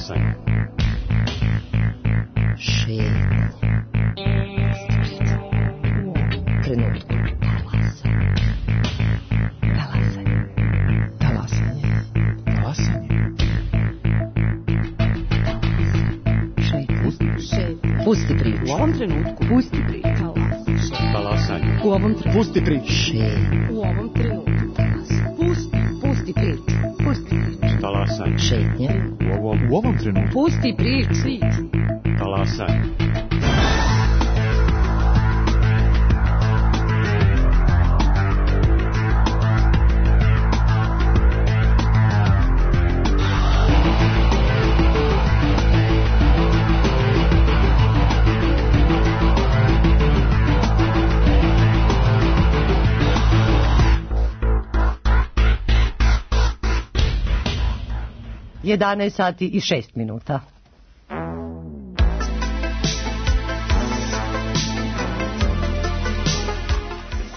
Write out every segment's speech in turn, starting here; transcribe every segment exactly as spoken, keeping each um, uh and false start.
Talasanje. Šetnje. Trenutku. Talasanje. Talasanje. Talasanje. Šetnje. Pusti priču. U ovom trenutku. Pusti priču. Talasanje. U ovom trenutku. Pusti priču. Šetnje. U ovom trenutku. Pusti, pusti priču. Pusti priču. Talasanje. Šetnje. U ovom, u ovom trenutku. Pusti priču. Talasanje. jedanaest sati i šest minuta.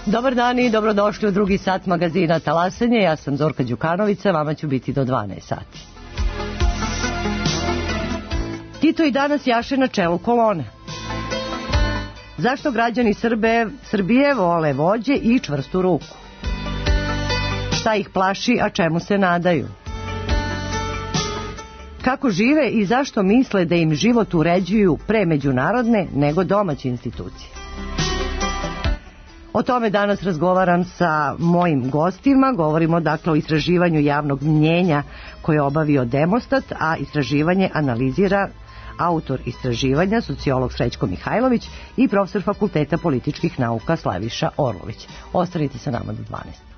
Dobar dan i dobrodošli u drugi sat magazina Talasanje. Ja sam Zorka Đukanovića, vama ću biti do dvanaest sati. Tito i danas jaše na čelu kolone. Zašto građani Srbe, Srbije vole vođe i čvrstu ruku? Šta ih plaši, a čemu se nadaju? Kako žive i zašto misle da im život uređuju pre međunarodne nego domaće institucije? O tome danas razgovaram sa mojim gostima. Govorimo dakle o istraživanju javnog mnjenja koje je obavio Demostat, a istraživanje analizira autor istraživanja, sociolog Srećko Mihajlović i profesor Fakulteta političkih nauka Slaviša Orlović. Ostanite sa nama do dvanaest.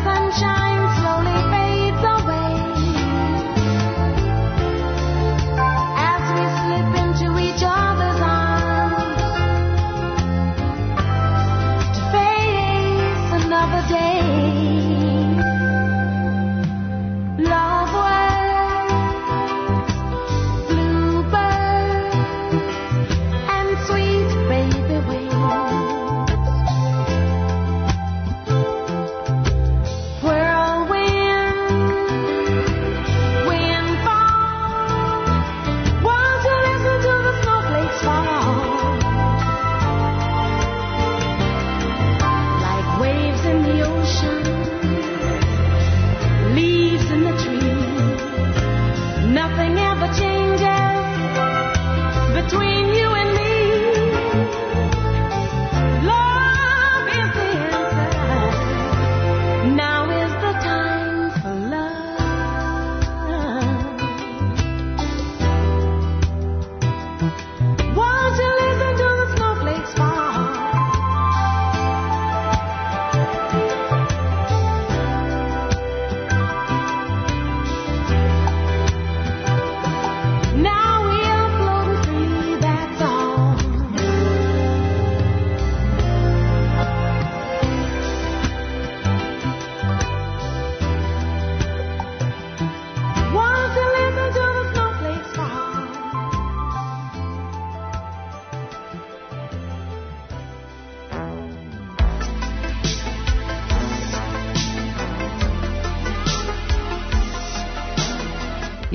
Sunshine slowly fades away.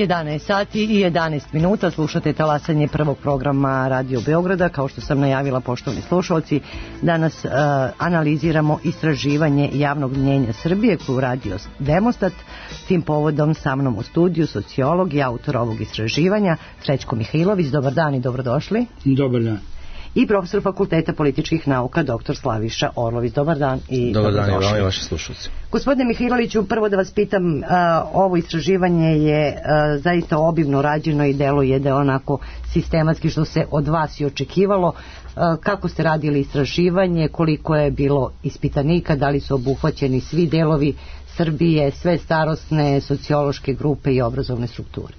jedanaest sati i jedanaest minuta, slušate talasanje prvog programa Radio Beograda. Kao što sam najavila, poštovani slušalci, danas uh, analiziramo istraživanje javnog mnjenja Srbije koju radio Demostat. Tim povodom sa mnom u studiju sociolog i autor ovog istraživanja Srećko Mihajlović. Dobar dan i dobrodošli. Dobar dan. I profesor Fakulteta političkih nauka doktor Slaviša Orlović. Dobar dan i Dobar dan i dobrodošli. vama i vaši slušalci. Gospodine Mihajloviću, prvo da vas pitam, uh, ovo istraživanje je uh, zaista obimno rađeno i deluje da je onako sistematski što se od vas i očekivalo. Uh, kako ste radili istraživanje, koliko je bilo ispitanika, da li su obuhvaćeni svi delovi Srbije, sve starosne, sociološke grupe i obrazovne strukture?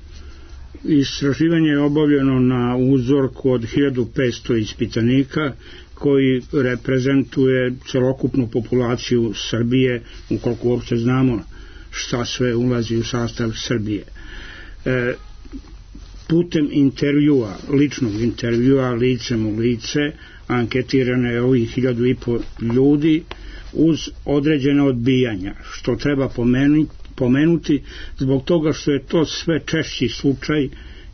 Istraživanje je obavljeno na uzorku od hiljadu petsto ispitanika koji reprezentuje celokupnu populaciju Srbije, ukoliko uopće znamo šta sve ulazi u sastav Srbije. E, putem intervjua, ličnog intervjua, licem u lice, anketirano je ovih hiljadu i po ljudi uz određene odbijanja, što treba pomenuti pomenuti zbog toga što je to sve češći slučaj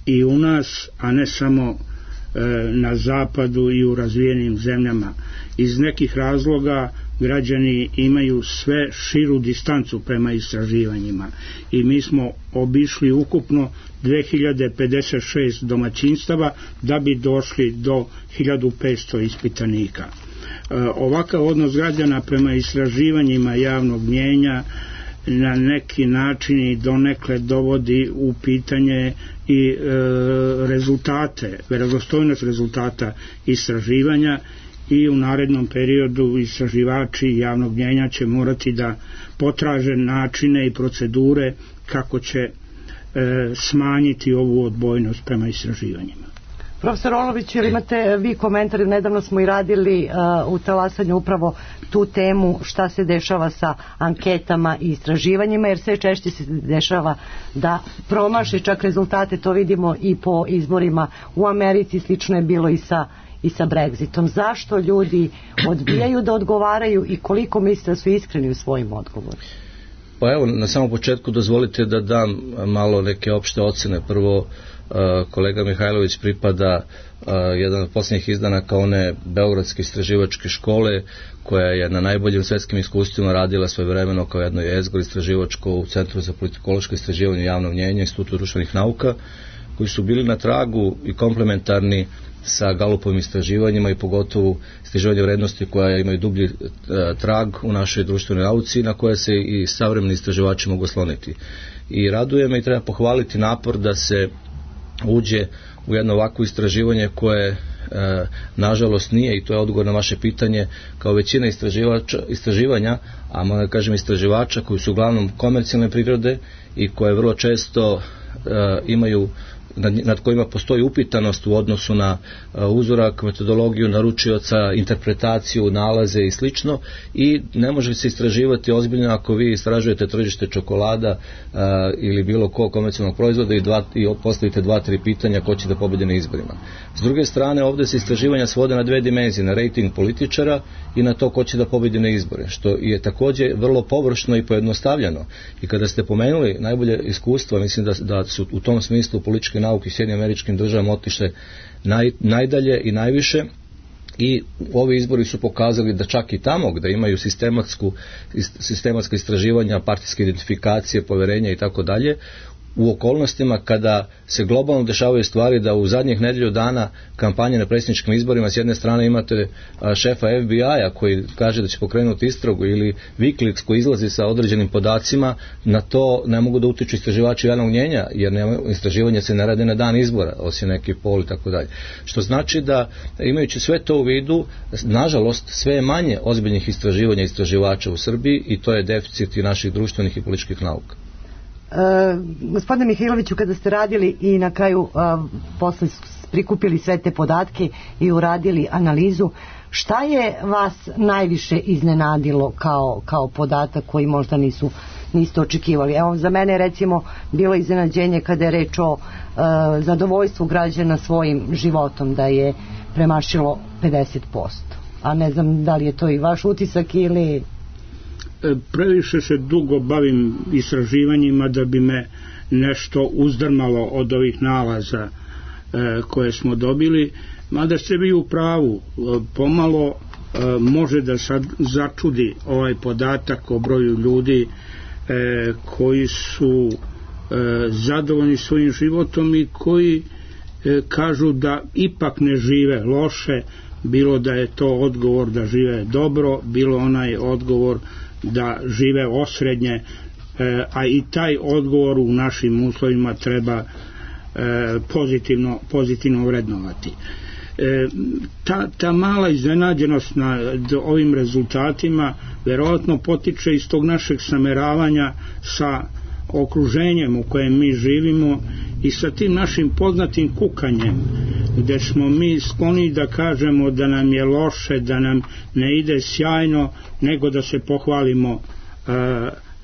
i u nas, a ne samo e, na zapadu i u razvijenim zemljama. Iz nekih razloga građani imaju sve širu distancu prema istraživanjima i mi smo obišli ukupno dve hiljade pedeset šest domaćinstava da bi došli do hiljadu petsto ispitanika. E, ovakav odnos građana prema istraživanjima javnog mnjenja na neki način i donekle dovodi u pitanje i e, rezultate, verodostojnost rezultata istraživanja i u narednom periodu istraživači javnog mnjenja će morati da potraže načine i procedure kako će e, smanjiti ovu odbojnost prema istraživanjima. Profesor Orlović, ili imate vi komentari? Nedavno smo i radili uh, u talasanju upravo tu temu šta se dešava sa anketama i istraživanjima, jer sve češće se dešava da promaši čak rezultate, to vidimo i po izborima u Americi, slično je bilo i sa, i sa Brexitom. Zašto ljudi odbijaju da odgovaraju i koliko mislite da su iskreni u svojim odgovorima? Pa evo, na samom početku dozvolite da dam malo neke opšte ocene. Prvo, kolega Mihajlović pripada uh, jedan od posljednjih izdanaka one Beogradske istraživačke škole koja je na najboljim svetskim iskustvima radila svojevremeno kao jedno jezgro istraživačko u Centru za politikološko istraživanje javnog mnjenja Institutu društvenih nauka, koji su bili na tragu i komplementarni sa Galupovim istraživanjima i pogotovo istraživanje vrednosti koja imaju dublji uh, trag u našoj društvenoj nauci na koje se i savremeni istraživači mogu osloniti. I raduje me i treba pohvaliti napor da se uđe u jedno ovakvo istraživanje koje e, nažalost nije, i to je odgovor na vaše pitanje, kao većina istraživanja, a moram kažem istraživača koji su uglavnom komercijalne prirode i koje vrlo često e, imaju Nad, nad kojima postoji upitanost u odnosu na uh, uzorak, metodologiju naručioca, interpretaciju, nalaze i slično, i ne može se istraživati ozbiljno ako vi istražujete tržište čokolada uh, ili bilo ko komercijalnog proizvoda i, dva, i postavite dva, tri pitanja ko će da pobedi na izborima. S druge strane, ovdje se istraživanja svode na dve dimenzije, na rating političara i na to ko će da pobedi na izbore, što je također vrlo površno i pojednostavljeno. I kada ste pomenuli najbolje iskustva, mislim da, da su u tom smislu političke nauke u Sjedinjenim Američkim Državama otišle naj, najdalje i najviše, i ovi izbori su pokazali da čak i tamo gde imaju sistematsku, sistematska istraživanja, partijske identifikacije, poverenja i tako dalje, u okolnostima kada se globalno dešavaju stvari da u zadnjih nedelju dana kampanje na predsjedničkim izborima s jedne strane imate šefa F B I-a koji kaže da će pokrenuti istragu, ili Wikileaks koji izlazi sa određenim podacima, na to ne mogu da utiču istraživači javnog mnjenja, jer nema, istraživanje se ne rade na dan izbora, osim neki pol i tako dalje. Što znači da, imajući sve to u vidu, nažalost sve je manje ozbiljnih istraživanja istraživača u Srbiji, i to je deficit i naših društvenih i političkih nauka. E, gospodine Mihajloviću, kada ste radili i na kraju a, posle prikupili sve te podatke i uradili analizu, šta je vas najviše iznenadilo kao, kao podatak koji možda nisu, niste očekivali? Evo, za mene je recimo bilo iznenađenje kada je reč o a, zadovoljstvu građana svojim životom, da je premašilo pedeset posto. A ne znam da li je to i vaš utisak ili... previše se dugo bavim istraživanjima da bi me nešto uzdrmalo od ovih nalaza koje smo dobili, mada ste vi u pravu, pomalo može da sad začudi ovaj podatak o broju ljudi koji su zadovoljni svojim životom i koji kažu da ipak ne žive loše, bilo da je to odgovor da žive dobro, bilo onaj odgovor da žive osrednje, a i taj odgovor u našim uslovima treba pozitivno, pozitivno vrednovati. Ta, ta mala iznenađenost na ovim rezultatima verovatno potiče iz tog našeg sameravanja sa okruženjem u kojem mi živimo i sa tim našim poznatim kukanjem, gde smo mi skloni da kažemo da nam je loše, da nam ne ide sjajno, nego da se pohvalimo uh,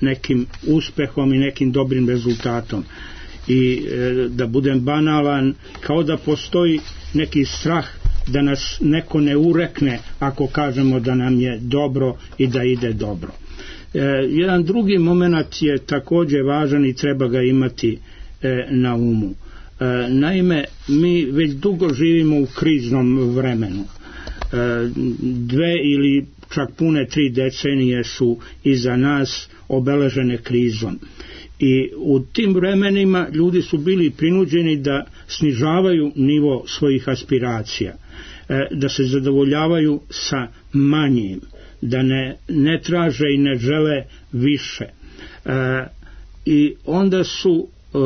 nekim uspehom i nekim dobrim rezultatom. I uh, da budem banalan, kao da postoji neki strah da nas neko ne urekne ako kažemo da nam je dobro i da ide dobro. E, jedan drugi moment je takođe važan i treba ga imati e, na umu. E, naime, mi već dugo živimo u kriznom vremenu. E, dve ili čak pune tri decenije su iza nas obeležene krizom. I u tim vremenima ljudi su bili prinuđeni da snižavaju nivo svojih aspiracija, e, da se zadovoljavaju sa manjim, da ne, ne traže i ne žele više. E, I onda su e,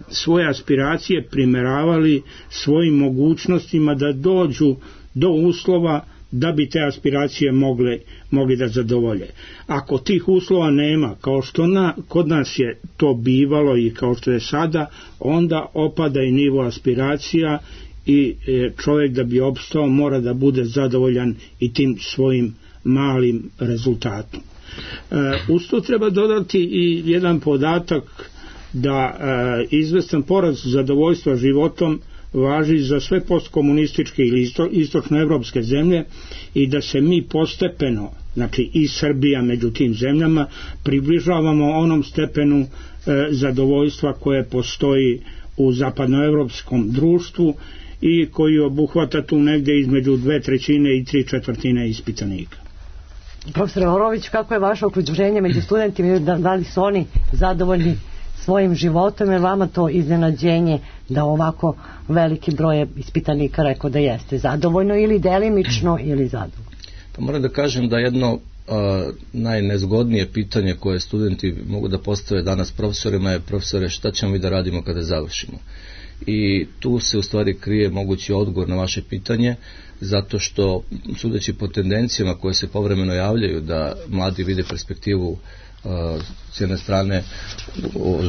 svoje aspiracije primeravali svojim mogućnostima da dođu do uslova da bi te aspiracije mogli, mogli da zadovolje. Ako tih uslova nema, kao što na, kod nas je to bivalo i kao što je sada, onda opada i nivo aspiracija i čovjek da bi opstao mora da bude zadovoljan i tim svojim malim rezultatom. E, uz to treba dodati i jedan podatak da e, izvestan porast zadovoljstva životom važi za sve postkomunističke ili isto, istočnoevropske zemlje i da se mi postepeno, znači i Srbija među tim zemljama, približavamo onom stepenu e, zadovoljstva koje postoji u zapadnoevropskom društvu i koji obuhvata tu negdje između dve trećine i tri četvrtine ispitanika. Profesor Orović, kako je vaše okruženje među studentima, da, da li su oni zadovoljni svojim životom, jer vama to iznenađenje da ovako veliki broj ispitanika rekao da jeste zadovoljno ili delimično ili zadovoljno? Pa moram da kažem da jedno a, najnezgodnije pitanje koje studenti mogu da postave danas profesorima je: profesore, šta ćemo mi da radimo kada završimo? I tu se u stvari krije mogući odgovor na vaše pitanje, zato što, sudeći po tendencijama koje se povremeno javljaju da mladi vide perspektivu s jedne strane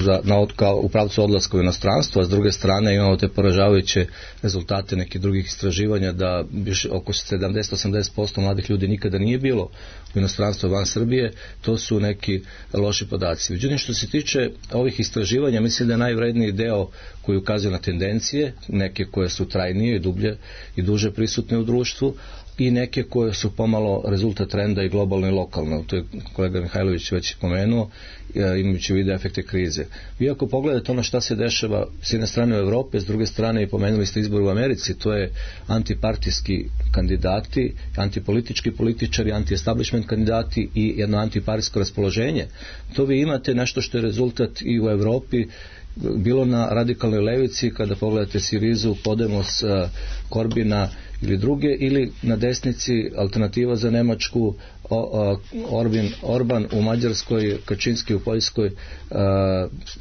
za, na, kao, u pravcu odlaska u inostranstvo, a s druge strane imamo te poražavajuće rezultate nekih drugih istraživanja da biš, oko sedamdeset do osamdeset posto mladih ljudi nikada nije bilo u inostranstvu van Srbije. To su neki loši podaci. Međutim, što se tiče ovih istraživanja, mislim da je najvredniji deo koji ukazuje na tendencije, neke koje su trajnije i dublje i duže prisutne u društvu, i neke koje su pomalo rezultat trenda i globalno i lokalno. To je kolega Mihajlović već pomenuo, imajući u vidu efekte krize. Vi ako pogledate ono šta se dešava s jedne strane u Evropi, s druge strane i pomenuli ste izbor u Americi, to je antipartijski kandidati, antipolitički političari, anti-establishment kandidati i jedno antiparijsko raspoloženje. To vi imate nešto što je rezultat i u Evropi, bilo na radikalnoj levici, kada pogledate Sirizu, Podemos, Korbina ili druge, ili na desnici Alternativa za Nemačku, Orbin, Orban u Mađarskoj, Kačinski u Poljskoj,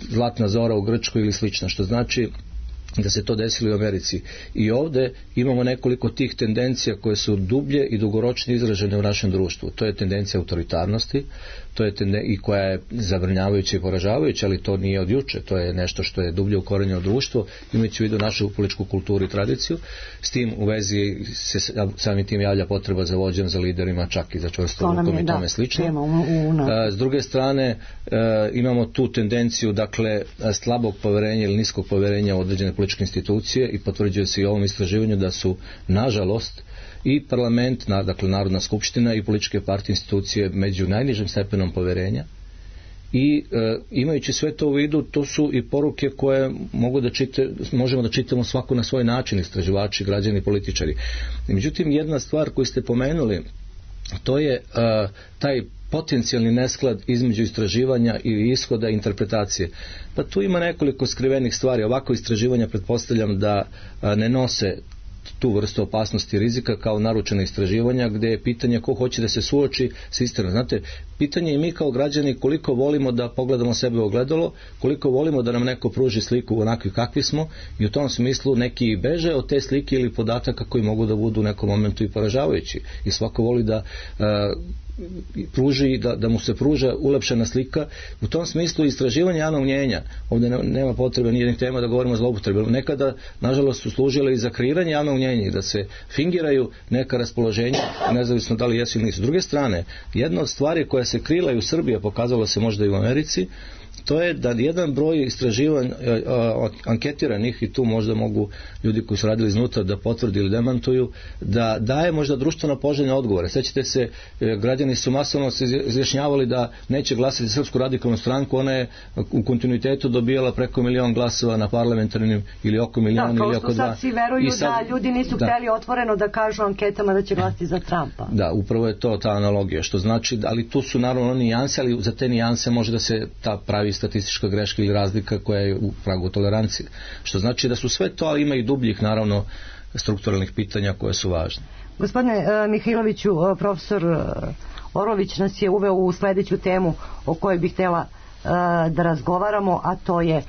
Zlatna Zora u Grčkoj ili slično, što znači da se to desilo u Americi. I ovde imamo nekoliko tih tendencija koje su dublje i dugoročnije izražene u našem društvu. To je tendencija autoritarnosti, to je tenden, i koja je zabrnjavajuća i poražavajuća, ali to nije od juče, to je nešto što je dublje ukorenjeno u društvo, imajući u vidu našu političku kulturu i tradiciju. S tim u vezi se samim tim javlja potreba za vođom, za liderima, čak i za čvrstom rukom i tome slično. S druge strane, imamo tu tendenciju, dakle, slabog poverenja ili niskog poverenja u određene političke institucije i potvrđuje se i ovom istraživanju da su, nažalost, i parlament, dakle Narodna skupština i političke partije institucije među najnižim stepenom poverenja. I e, imajući sve to u vidu, to su i poruke koje mogu da čite, možemo da čitamo svako na svoj način, istraživači, građani, političari. Međutim, jedna stvar koju ste pomenuli, to je e, taj potencijalni nesklad između istraživanja i ishoda i interpretacije. Pa tu ima nekoliko skrivenih stvari. Ovako istraživanja pretpostavljam da a, ne nose tu vrstu opasnosti i rizika kao naručena istraživanja, gdje je pitanje ko hoće da se suoči s istinom. Znate, pitanje je mi kao građani koliko volimo da pogledamo sebe u ogledalo, koliko volimo da nam neko pruži sliku onakvi kakvi smo, i u tom smislu neki beže od te slike ili podataka koji mogu da budu u nekom momentu i poražavajući. I svako voli da a, pruži, da, da mu se pruža ulepšana slika. U tom smislu istraživanje javnog mnjenja, ovdje nema potrebe nijednih tema da govorimo o zloupotrebi, nekada nažalost su služile i za kreiranje javnog mnjenja, da se fingiraju neka raspoloženja, nezavisno da li jesu ili nisu. S druge strane, jedna od stvari koja se krila i u Srbiji, pokazalo se možda i u Americi, to je da jedan broj istraživanja anketiranih, i tu možda mogu ljudi koji su radili iznutra da potvrdi ili demantuju, da daje možda društveno poželjne odgovore. Sećate se, građani su masovno se izjašnjavali da neće glasati za Srpsku radikalnu stranku, ona je u kontinuitetu dobijala preko milion glasova na parlamentarnim ili oko milion da, ili oko dva. Da, sad svi veruju sad, da ljudi nisu da, hteli otvoreno da kažu anketama da će glasiti za Trumpa. Da, upravo je to ta analogija, što znači, ali tu su naravno nijanse, ali za te nijanse može da se ta pravi statistička greška ili razlika koja je u pragu tolerancije. Što znači da su sve to, ali ima i dubljih naravno strukturalnih pitanja koje su važne. Gospodine uh, Mihajloviću, uh, profesor uh, Orlović nas je uveo u sledeću temu o kojoj bih htjela uh, da razgovaramo, a to je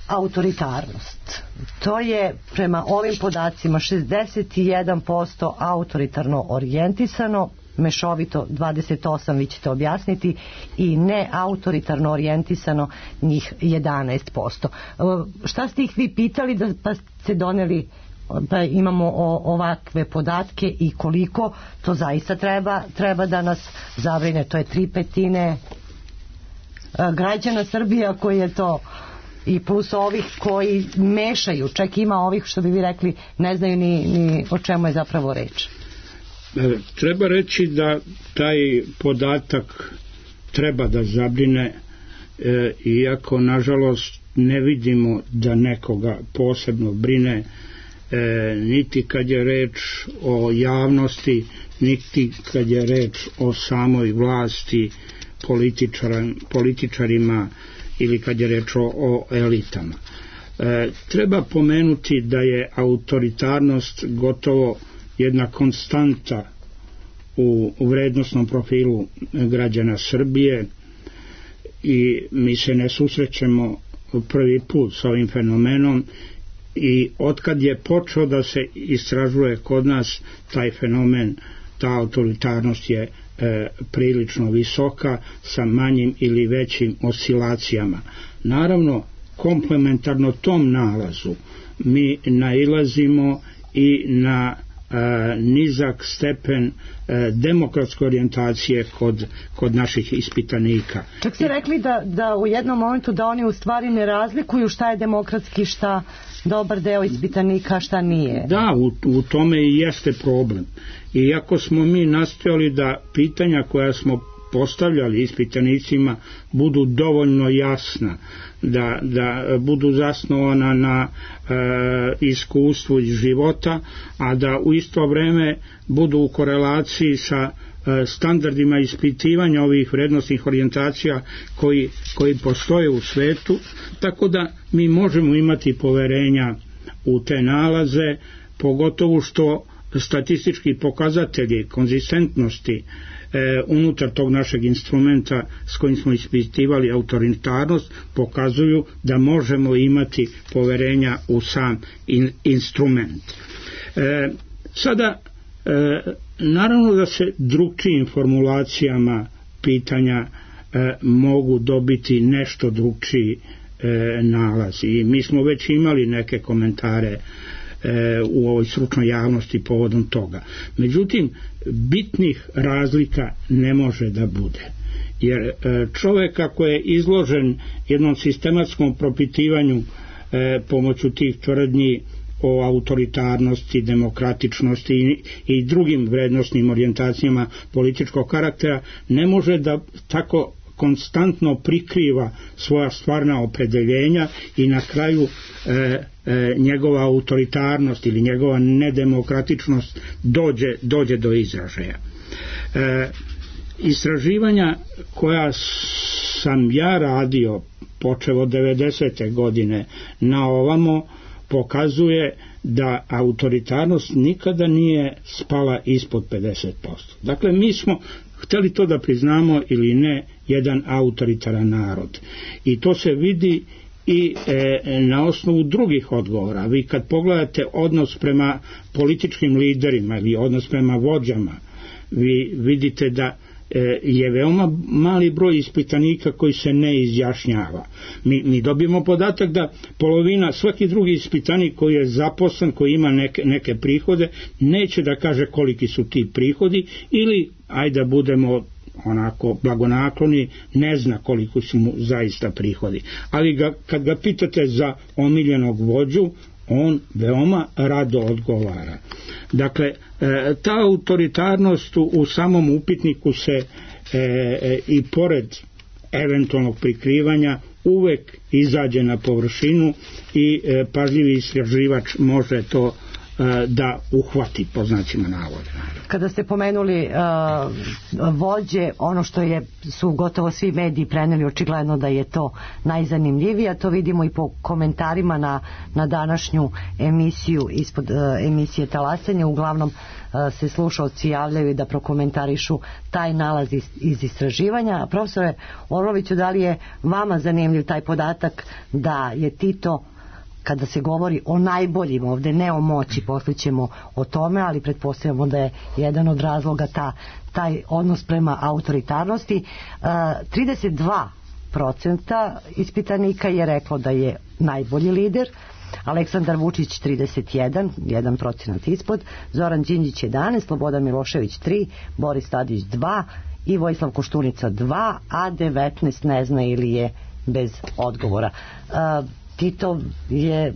autoritarnost. To je prema ovim podacima šezdeset jedan posto autoritarno orijentisano, mešovito dvadeset osam, vi ćete objasniti, i ne autoritarno orijentisano njih jedanaest posto. Šta ste ih vi pitali da pa ste doneli da imamo o, ovakve podatke i koliko to zaista treba, treba da nas zabrine? To je tri petine građana Srbije koji je to, i plus ovih koji mešaju, čak ima ovih što bi vi rekli ne znaju ni, ni o čemu je zapravo reč. Treba reći da taj podatak treba da zabrine, e, iako nažalost ne vidimo da nekoga posebno brine, e, niti kad je reč o javnosti, niti kad je reč o samoj vlasti, političar, političarima ili kad je reč o, o elitama. E, treba pomenuti da je autoritarnost gotovo jedna konstanta u, u vrednostnom profilu građana Srbije, i mi se ne susrećemo prvi put s ovim fenomenom, i otkad je počeo da se istražuje kod nas taj fenomen, ta autoritarnost je e, prilično visoka sa manjim ili većim oscilacijama. Naravno, komplementarno tom nalazu mi nailazimo i na e, nizak stepen e, demokratske orijentacije kod, kod naših ispitanika. Čak ste rekli da, da u jednom momentu da oni u stvari ne razlikuju šta je demokratski, šta dobar deo ispitanika, šta nije. Da, u, u tome i jeste problem. Iako smo mi nastojali da pitanja koja smo postavljali ispitanicima budu dovoljno jasna, da, da budu zasnovana na e, iskustvu iz života, a da u isto vreme budu u korelaciji sa e, standardima ispitivanja ovih vrednostnih orijentacija koji, koji postoje u svetu, tako da mi možemo imati poverenja u te nalaze, pogotovo što statistički pokazatelji konzistentnosti e, unutar tog našeg instrumenta s kojim smo ispitivali autoritarnost pokazuju da možemo imati poverenja u sam in, instrument. E, sada, e, naravno da se drugčijim formulacijama pitanja e, mogu dobiti nešto drugčiji e, nalaz, i mi smo već imali neke komentare u ovoj stručnoj javnosti povodom toga. Međutim, bitnih razlika ne može da bude. Jer čovjek ako je izložen jednom sistematskom propitivanju e, pomoću tih tvrdnji o autoritarnosti, demokratičnosti i, i drugim vrednostnim orijentacijama političkog karaktera, ne može da tako konstantno prikriva svoja stvarna opredeljenja i na kraju e, e, njegova autoritarnost ili njegova nedemokratičnost dođe, dođe do izražaja. E, istraživanja koja sam ja radio počev od devedesete godine na ovamo pokazuje da autoritarnost nikada nije spala ispod pedeset posto. Dakle, mi smo, hteli to da priznamo ili ne, jedan autoritaran narod. I to se vidi i e, na osnovu drugih odgovora. Vi kad pogledate odnos prema političkim liderima ili odnos prema vođama, vi vidite da je veoma mali broj ispitanika koji se ne izjašnjava. Mi, mi dobijemo podatak da polovina, svaki drugi ispitanik koji je zaposlen, koji ima neke, neke prihode, neće da kaže koliki su ti prihodi ili, ajde da budemo onako blagonakloni, ne zna koliko su mu zaista prihodi. Ali ga, kad ga pitate za omiljenog vođu, on veoma rado odgovara. Dakle, ta autoritarnost u samom upitniku se e, e, i pored eventualnog prikrivanja uvek izađe na površinu i e, pažljivi istraživač može to e, da uhvati, po znacima navoda. Kada ste pomenuli uh, vođe, ono što je, su gotovo svi mediji preneli, očigledno da je to najzanimljivije, a to vidimo i po komentarima na, na današnju emisiju ispod uh, emisije Talasanje. Uglavnom uh, se slušaoci javljaju da prokomentarišu taj nalaz iz, iz istraživanja. Profesore Orloviću, da li je vama zanimljiv taj podatak da je Tito, kada se govori o najboljim ovde, ne o moći, posle ćemo o tome, ali pretpostavljamo da je jedan od razloga ta, taj odnos prema autoritarnosti. trideset dva procenta ispitanika je reklo da je najbolji lider, Aleksandar Vučić trideset jedan, jedan procenat ispod, Zoran Đinđić jedanaest, Slobodan Milošević tri, Boris Tadić dva i Vojislav Koštunica dva, a devetnaest ne zna ili je bez odgovora. Tito je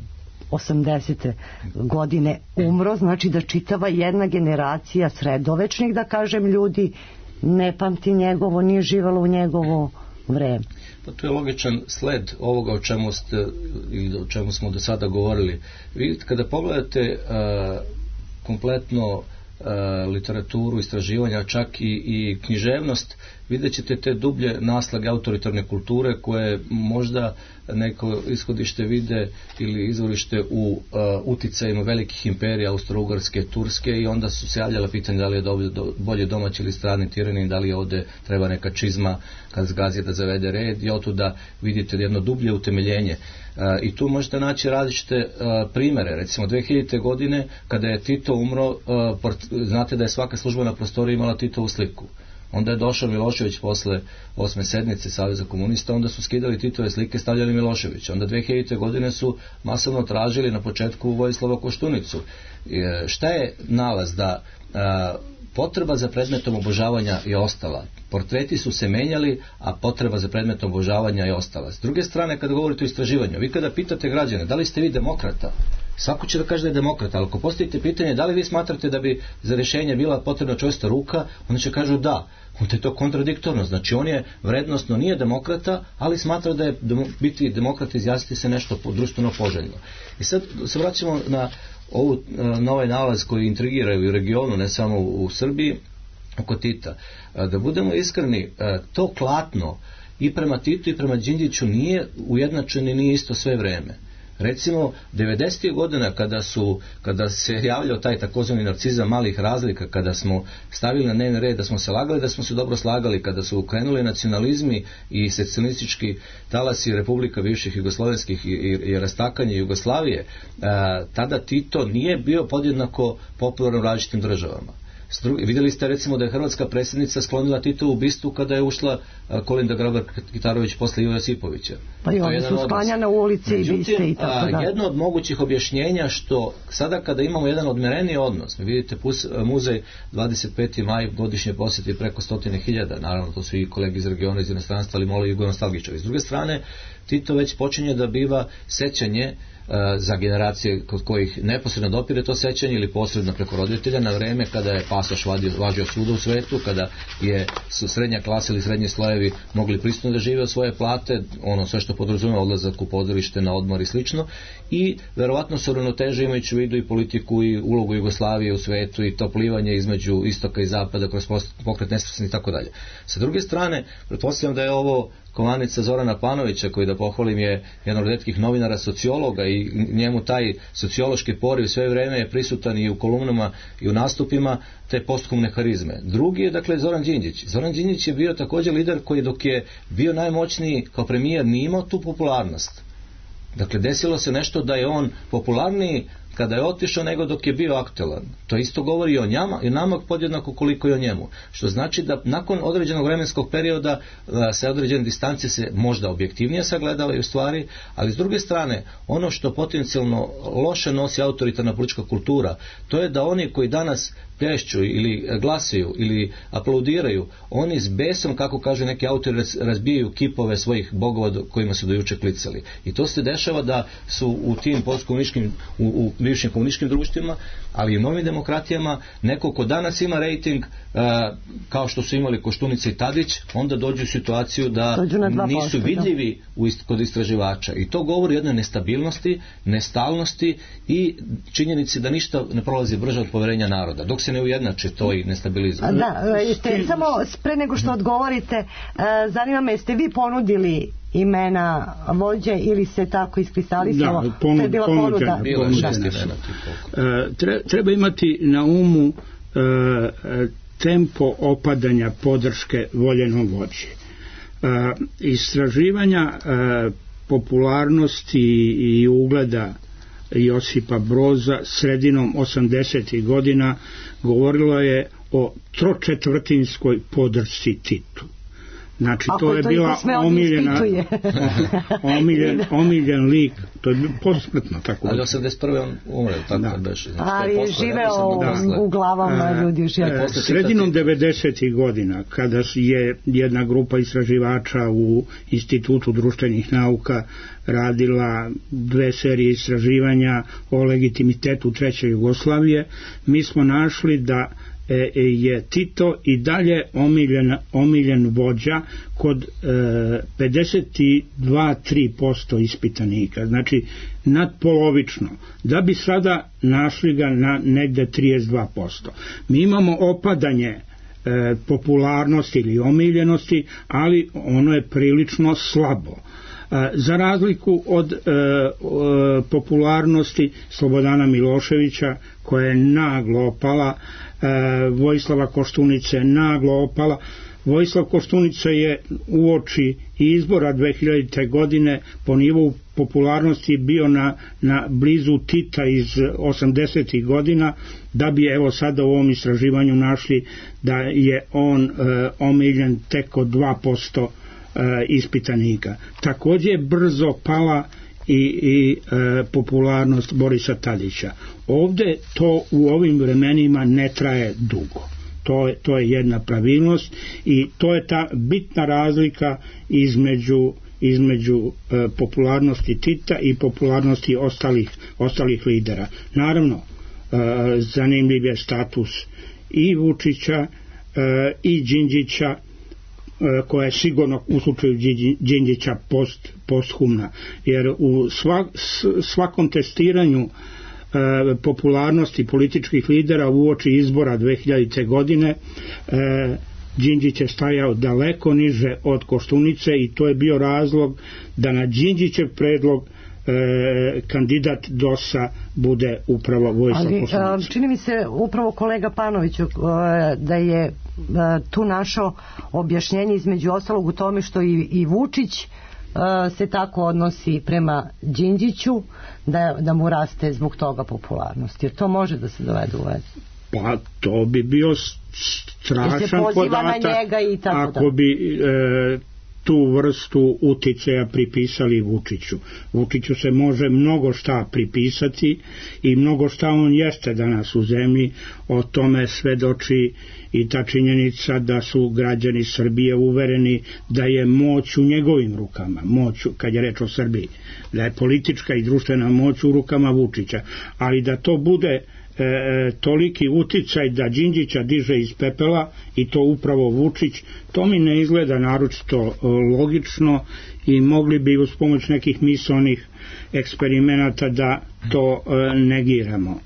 osamdesete godine umro, znači da čitava jedna generacija sredovečnih, da kažem, ljudi ne pamti njegovo, nije živalo u njegovo vreme. Pa to je logičan sled ovoga o čemu ste ili o čemu smo do sada govorili. Vidite, kada pogledate uh, kompletno uh, literaturu, istraživanja, čak i, i književnost, vidjet ćete te dublje naslage autoritarne kulture koje možda neko ishodište vide ili izvorište u uh, uticajima velikih imperija, Austro-Ugarske, Turske, i onda su se javljala pitanja da li je do, do, bolje domaći ili strani tirani, da li ovde treba neka čizma kad zgazi da zavede red, i otuda vidite jedno dublje utemeljenje. Uh, I tu možete naći različite uh, primere. Recimo dve hiljadite godine kada je Tito umro, uh, port, znate da je svaka službena prostorija imala Titovu sliku. Onda je došao Milošević posle osme sednice Saveza komunista, onda su skidali Titove slike, stavljali Miloševića. Onda dve hiljadite godine su masovno tražili na početku Vojislava Koštunicu. E, šta je nalaz? Da a, potreba za predmetom obožavanja je ostala. Portreti su se menjali, a potreba za predmetom obožavanja je ostala. S druge strane, kada govorite o istraživanju, vi kada pitate građane da li ste vi demokrata, svako će da kaže da je demokrata, ali ako postavite pitanje da li vi smatrate da bi za rješenje bila potrebna čvrsta ruka, onda će kažu da. Onda je to kontradiktorno. Znači on je vrednostno nije demokrata, ali smatra da je demo, biti demokrata izjasniti se nešto društveno poželjno. I sad se vraćamo na, ovu, na ovaj nalaz koji intrigiraju u regionu, ne samo u, u Srbiji, oko Tita. Da budemo iskreni, to klatno i prema Titu i prema Đinđiću nije ujednačeno i nije isto sve vreme. Recimo, devedesetih godina kada su, kada se javljao taj takozvani narcizam malih razlika, kada smo stavili na dnevni red da smo se lagali, da smo se dobro slagali, kada su krenuli nacionalizmi i secesionistički talasi republika bivših jugoslovenskih i, i, i rastakanje Jugoslavije, a, tada Tito nije bio podjednako popularan u različitim državama. Druge, vidjeli ste recimo da je hrvatska predsjednica sklonila Titovu bistu kada je ušla a, Kolinda Grabar-Kitarović posle Ivo Josipovića. Pa i oni su sklanjane u ulici i biste i tako da. Jedno od mogućih objašnjenja što sada kada imamo jedan odmereniji odnos, vidite pus, muzej dvadeset peti maj godišnje posjeti preko stotine hiljada, naravno to su i kolegi iz regiona, iz inostranstva, ali malo i nostalgičari. S druge strane, Tito već počinje da biva sećanje za generacije kod kojih neposredno dopire to sećanje ili posredno preko roditelja na vreme kada je pasoš vadio, važio svuda u svetu, kada je su srednja klasa ili srednji slojevi mogli pristojno da žive od svoje plate, ono sve što podrazumeva odlazak u pozorište, na odmor i slično, i verovatno se uravnoteže imajući u vidu i politiku i ulogu Jugoslavije u svetu i to plivanje između istoka i zapada kroz pokret nesvrstanih i tako dalje. Sa druge strane, pretpostavljam da je ovo komanica Zorana Panovića, koji, da pohvalim, je jedan od retkih novinara sociologa i njemu taj sociološki poriv sve vreme je prisutan i u kolumnama i u nastupima te posthumne harizme. Drugi je dakle Zoran Đinđić. Zoran Đinđić je bio također lider koji dok je bio najmoćniji kao premijer nije imao tu popularnost. Dakle, desilo se nešto da je on popularniji kada je otišao nego dok je bio aktualan. To isto govori i o njama i nama podjednako koliko i o njemu. Što znači da nakon određenog vremenskog perioda sa određene distance se možda objektivnije sagledavaju stvari, ali s druge strane ono što potencijalno loše nosi autoritarna politička kultura, to je da oni koji danas plješću ili glasuju ili aplaudiraju, oni s besom, kako kaže neki autori, razbijaju kipove svojih bogova kojima su dojuče klicali. I to se dešava da su u tim postkomunističkim, u, u bivšim komunističkim društvima, ali i u novim demokratijama, neko ko danas ima rejting a, kao što su imali Koštunica i Tadić, onda dođu u situaciju da nisu vidljivi u ist, kod istraživača. I to govori o jednoj nestabilnosti, nestalnosti i činjenici da ništa ne prolazi brže od poverenja naroda. Dok se ne ujednače to i nestabilizuje. Da, jeste, samo pre nego što odgovorite, zanima me, jeste vi ponudili imena vođe ili se tako iskristalisalo? Da, ponud, to je bila ponuda. Bila šest imena. E, treba imati na umu e, tempo opadanja podrške voljenom vođi. E, istraživanja e, popularnosti i ugleda Josipa Broza sredinom osamdesetih godina govorilo je o tročetvrtinskoj podršci Titu. Znači, ako to je to bila omiljena, omiljen, omiljen lik, to je posmrtno tako. Ali osamdeset prve on umre, tako da beše. Znači, ali je živeo u glavama ljudi. A, sredinom devedesetih godina, kada je jedna grupa istraživača u Institutu društvenih nauka radila dve serije istraživanja o legitimitetu treće Jugoslavije, mi smo našli da je Tito i dalje omiljen, omiljen vođa kod e, pedeset dva zarez tri posto ispitanika, znači nadpolovično, da bi sada našli ga na negde trideset dva posto. Mi imamo opadanje e, popularnosti ili omiljenosti, ali ono je prilično slabo. Za razliku od e, e, popularnosti Slobodana Miloševića, koja je naglo opala, e, Vojislava Koštunice naglo opala. Vojislav Koštunica je uoči izbora dve hiljadite godine po nivou popularnosti bio na, na blizu Tita iz osamdesetih godina, da bi evo sada u ovom istraživanju našli da je on e, omiljen tek od dva posto ispitanika. Također je brzo pala i, i e, popularnost Borisa Tadića. Ovdje to u ovim vremenima ne traje dugo. To je, to je jedna pravilnost i to je ta bitna razlika između između e, popularnosti Tita i popularnosti ostalih, ostalih lidera. Naravno, e, zanimljiv je status i Vučića e, i Đinđića, koja je sigurno u slučaju Đinđića post, posthumna, jer u svak, svakom testiranju e, popularnosti političkih lidera uoči izbora dve hiljadite godine e, Đinđić je stajao daleko niže od Koštunice i to je bio razlog da na Đinđićev predlog E, kandidat D O S-a bude upravo Vojislav Koštunica. Ali čini mi se upravo kolega Panoviću da je tu našao objašnjenje između ostalog u tome što i, i Vučić se tako odnosi prema Đinđiću, da, da mu raste zbog toga popularnost, jer to može da se dovede u vezu. Pa to bi bio strašan podatak ako bi e, tu vrstu uticaja pripisali Vučiću. Vučiću se može mnogo šta pripisati i mnogo šta on jeste danas u zemlji, o tome svedoči i ta činjenica da su građani Srbije uvereni da je moć u njegovim rukama, moć, kad je reč o Srbiji, da je politička i društvena moć u rukama Vučića, ali da to bude E, toliki uticaj da Đinđića diže iz pepela i to upravo Vučić, to mi ne izgleda naročito logično i mogli bi uz pomoć nekih misaonih eksperimenata da to e, negiramo.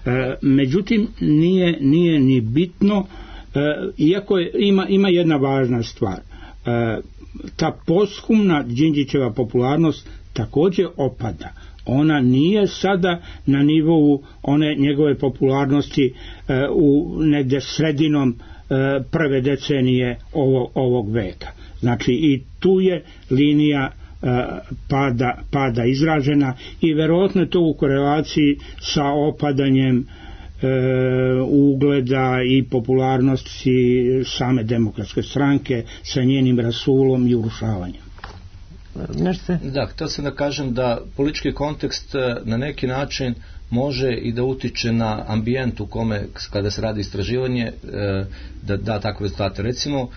E, međutim, nije, nije ni bitno, e, iako je, ima, ima jedna važna stvar. E, ta posthumna Đinđićeva popularnost takođe opada. Ona nije sada na nivou one njegove popularnosti e, u negde sredinom e, prve decenije ovo, ovog veka. Znači i tu je linija e, pada, pada izražena i verovatno je to u korelaciji sa opadanjem e, ugleda i popularnosti same demokratske stranke sa njenim rasulom i urušavanjem. Da, htio sam da kažem da politički kontekst na neki način može i da utiče na ambijent u kome kada se radi istraživanje da da takve rezultate. Recimo,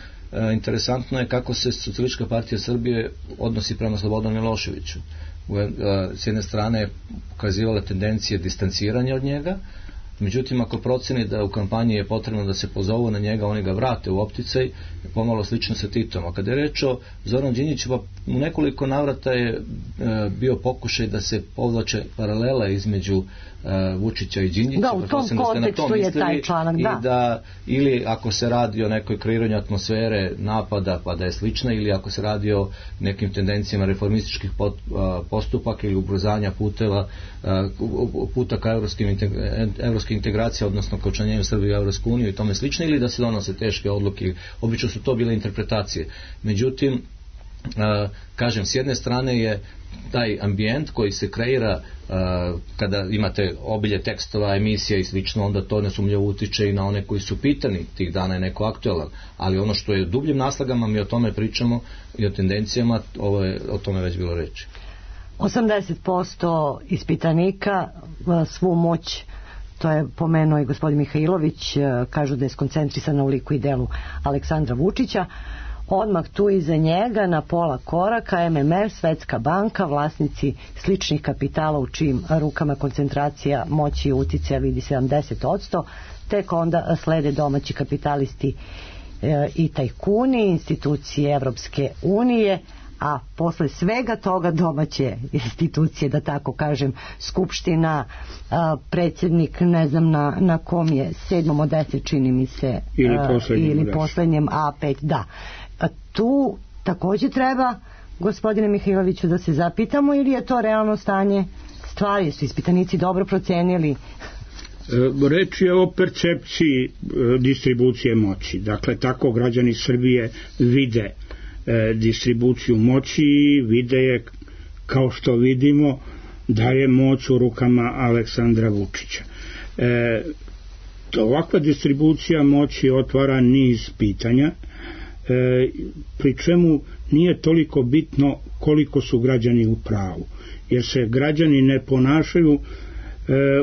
interesantno je kako se Socijalistička partija Srbije odnosi prema Slobodanu Miloševiću. S jedne strane pokazivala tendencije distanciranja od njega, međutim ako proceni da u kampanji je potrebno da se pozovu na njega, oni ga vrate u opticaj, pomalo slično sa Titom. A kada je reč o Zoranu Đinđiću, pa u nekoliko navrata je e, bio pokušaj da se povlače paralela između e, Vučića i Đinđića. Da, u tom kontekstu je taj članak, da. I da. Ili ako se radi o nekoj kreiranju atmosfere napada, pa da je slična, ili ako se radi o nekim tendencijama reformističkih pot, a, postupaka ili ubrzanja puteva, a, puta ka evropskim, evropskim integracija, odnosno ka učlanjenju Srbije u Evropsku uniju i tome slično, ili da se donose teške odluke. Obično su to bile interpretacije. Međutim, uh, kažem, s jedne strane je taj ambijent koji se kreira uh, kada imate obilje tekstova, emisija i slično, onda to nesumnjivo utiče i na one koji su pitani tih dana je neko aktualan, ali ono što je dubljim naslagama, mi o tome pričamo i o tendencijama, ovo je, o tome već bilo reči. osamdeset posto ispitanika svu moć, to je pomenuo i gospodin Mihajlović, kažu da je skoncentrisana u liku i delu Aleksandra Vučića. Odmah tu iza njega na pola koraka M M F, Svetska banka, vlasnici sličnih kapitala u čijim rukama koncentracija moći i uticaja vidi sedamdeset posto, tek onda slede domaći kapitalisti e, i tajkuni, institucije Evropske unije, a posle svega toga domaće institucije, da tako kažem, Skupština, a, predsjednik, ne znam na, na kom je, sedmom od deset čini mi se, ili poslednjem, ili poslednjem A pet, da. A tu takođe treba, gospodine Mihajloviću, da se zapitamo ili je to realno stanje stvari, su ispitanici dobro procenili? Reč je o percepciji distribucije moći. Dakle, tako građani Srbije vide E, distribuciju moći i vide je, kao što vidimo, da je moć u rukama Aleksandra Vučića. E, ovakva distribucija moći otvara niz pitanja, e, pri čemu nije toliko bitno koliko su građani u pravu, jer se građani ne ponašaju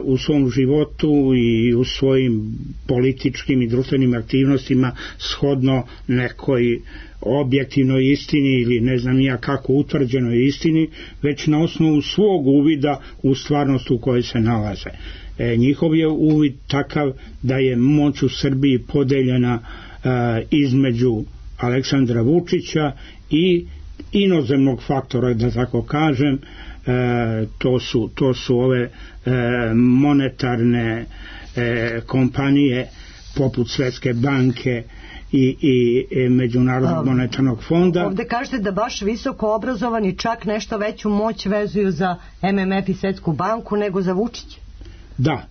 u svom životu i u svojim političkim i društvenim aktivnostima shodno nekoj objektivnoj istini ili ne znam ja kako utvrđenoj istini, već na osnovu svog uvida u stvarnost u kojoj se nalaze. E, njihov je uvid takav da je moć u Srbiji podeljena e, između Aleksandra Vučića i inozemnog faktora, da tako kažem. E, to su, to su ove e, monetarne e, kompanije poput Svetske banke i, i e, Međunarodnog um, monetarnog fonda. Ovde kažete da baš visoko obrazovani čak nešto veću moć vezuju za M M F i Svetsku banku nego za Vučića. Da.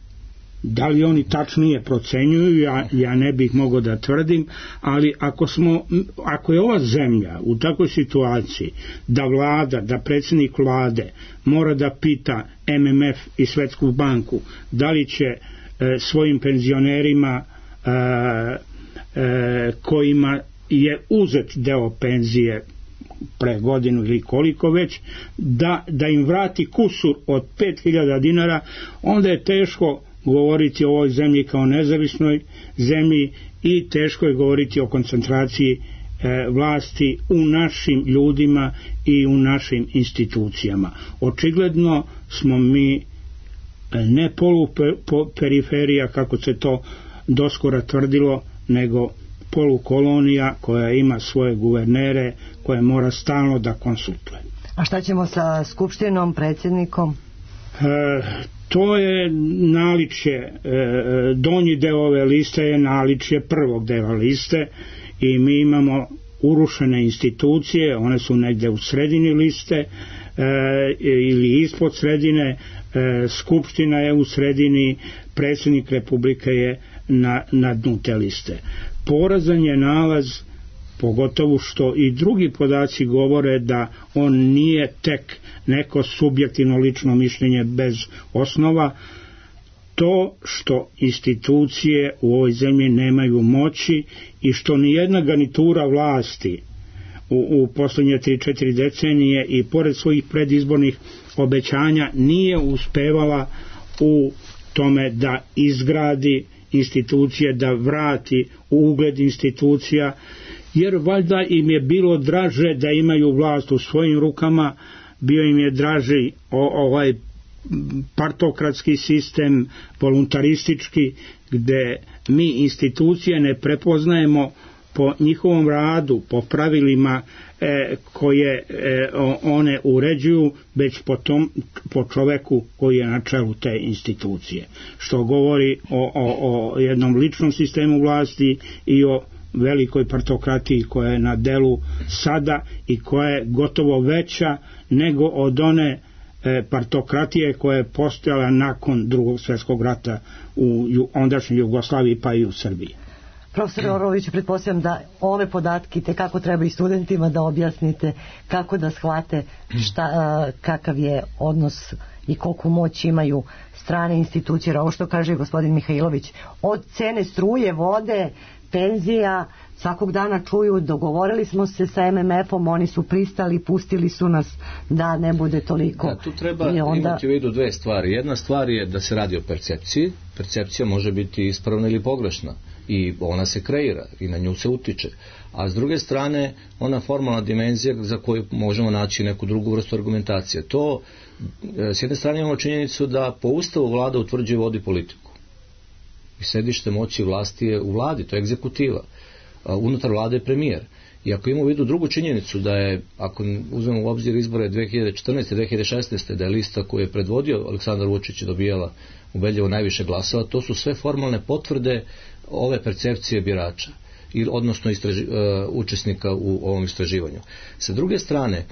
Da li oni tačnije procenjuju, ja, ja ne bih mogao da tvrdim, ali ako, smo, ako je ova zemlja u takvoj situaciji da vlada, da predsjednik vlade mora da pita M M F i Svetsku banku da li će e, e, svojim penzionerima e, e, kojima je uzet deo penzije pre godinu ili koliko već, da, da im vrati kusur od pet hiljada dinara, onda je teško govoriti o ovoj zemlji kao nezavisnoj zemlji i teško je govoriti o koncentraciji e, vlasti u našim ljudima i u našim institucijama. Očigledno smo mi ne poluperiferija, kako se to doskora tvrdilo, nego polukolonija koja ima svoje guvernere koje mora stalno da konsultuje. A šta ćemo sa skupštinom, predsjednikom? E, to je naličje, e, donji deo ove liste je naličje prvog dela liste i mi imamo urušene institucije, one su negde u sredini liste e, ili ispod sredine, e, skupština je u sredini, predsjednik Republike je na, na dnu te liste. Porazan je nalaz, pogotovo što i drugi podaci govore da on nije tek neko subjektivno lično mišljenje bez osnova. To što institucije u ovoj zemlji nemaju moći i što nijedna garnitura vlasti u, u poslednje tri četiri decenije i pored svojih predizbornih obećanja nije uspevala u tome da izgradi institucije, da vrati ugled institucija, jer valjda im je bilo draže da imaju vlast u svojim rukama, bio im je draži ovaj partokratski sistem, voluntaristički, gde mi institucije ne prepoznajemo po njihovom radu, po pravilima e, koje e, one uređuju, već po, tom, po čoveku koji je na čelu te institucije. Što govori o, o, o jednom ličnom sistemu vlasti i o velikoj partokratiji koja je na delu sada i koja je gotovo veća nego od one e, partokratije koja je postojala nakon Drugog svjetskog rata u ondašnjoj Jugoslaviji pa i u Srbiji. Profesor Orović, pretpostavljam da ove podatke te kako treba i studentima da objasnite, kako da shvate šta, kakav je odnos i koliko moć imaju strane institucije. Ovo što kaže gospodin Mihajlović, od cene struje, vode, penzija, svakog dana čuju, dogovorili smo se sa em em efom, oni su pristali, pustili su nas da ne bude toliko. Da, tu treba onda... imati u vidu dve stvari. Jedna stvar je da se radi o percepciji. Percepcija može biti ispravna ili pogrešna i ona se kreira i na nju se utiče. A s druge strane, ona formalna dimenzija za koju možemo naći neku drugu vrstu argumentacije. To, s jedne strane imamo činjenicu da po Ustavu vlada utvrđuje i vodi politiku. I sedište moći vlasti je u vladi, to je egzekutiva. Unutar vlade je premijer. I ako imamo u vidu drugu činjenicu da je, ako uzmemo u obzir izbore dve hiljade četrnaeste. dve hiljade šesnaeste. da je lista koju je predvodio Aleksandar Vučić dobijala ubedljivo najviše glasova, to su sve formalne potvrde ove percepcije birača, odnosno istraži, uh, učesnika u ovom istraživanju. Sa druge strane,